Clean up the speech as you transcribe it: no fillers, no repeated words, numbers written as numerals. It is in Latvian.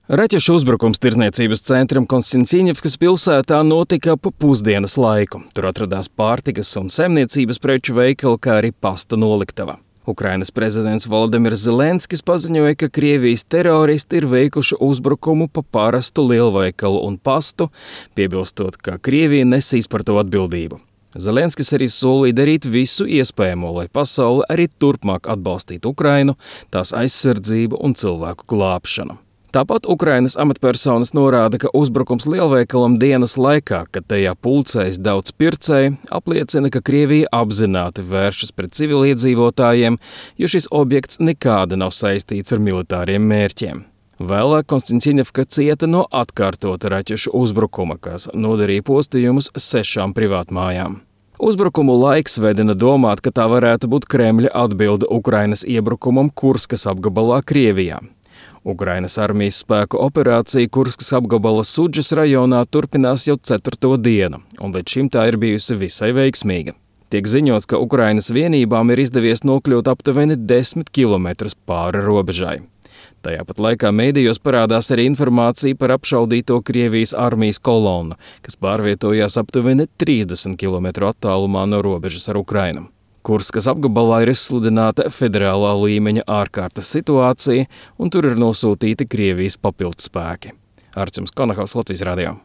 Raķešu uzbrukums tirdzniecības centram Konstantīņevkas pilsētā notika pa pusdienas laiku. Tur atradās pārtikas un saimniecības preču veikali, kā arī pasta noliktava. Ukrainas prezidents Volodimirs Zelenskis paziņoja, ka Krievijas teroristi ir veikuši uzbrukumu pa parastu lielveikalu un pastu, piebilstot, ka Krievija nesīs par to atbildību. Zelenskis arī solīja darīt visu iespējamo, lai pasaule arī turpmāk atbalstītu Ukrainu, tās aizsardzību un cilvēku glābšanu. Tāpat Ukrainas amatpersonas norāda, ka uzbrukums lielveikalam dienas laikā, kad tajā pulcējas daudz pircēju, apliecina, ka Krievija apzināti vēršas pret civiliedzīvotājiem, jo šis objekts nekāda nav saistīts ar militāriem mērķiem. Vēlāk Konstantīņevka cieta no atkārtota raķešu uzbrukuma, kas nodarīja postījumus 6 privātmājām. Uzbrukumu laiks vedina domāt, ka tā varētu būt Kremļa atbilde Ukrainas iebrukumam Kurskas apgabalā Krievijā. Ukrainas armijas spēku operācija Kurskas apgabala Sudžas rajonā turpinās jau 4. dienu, un līdz šim tā ir bijusi visai veiksmīga. Tiek ziņots, ka Ukrainas vienībām ir izdevies nokļūt aptuveni 10 kilometrus pāri robežai. Tajā pat laikā mēdījos parādās arī informācija par apšaudīto Krievijas armijas kolonnu, kas pārvietojās aptuveni 30 kilometru attālumā no robežas ar Ukrainu. Kurskas apgabalā ir izsludināta federālā līmeņa ārkārtas situācija, un tur ir nosūtīti Krievijas papildspēki. Artjums Konahaus, Latvijas radio.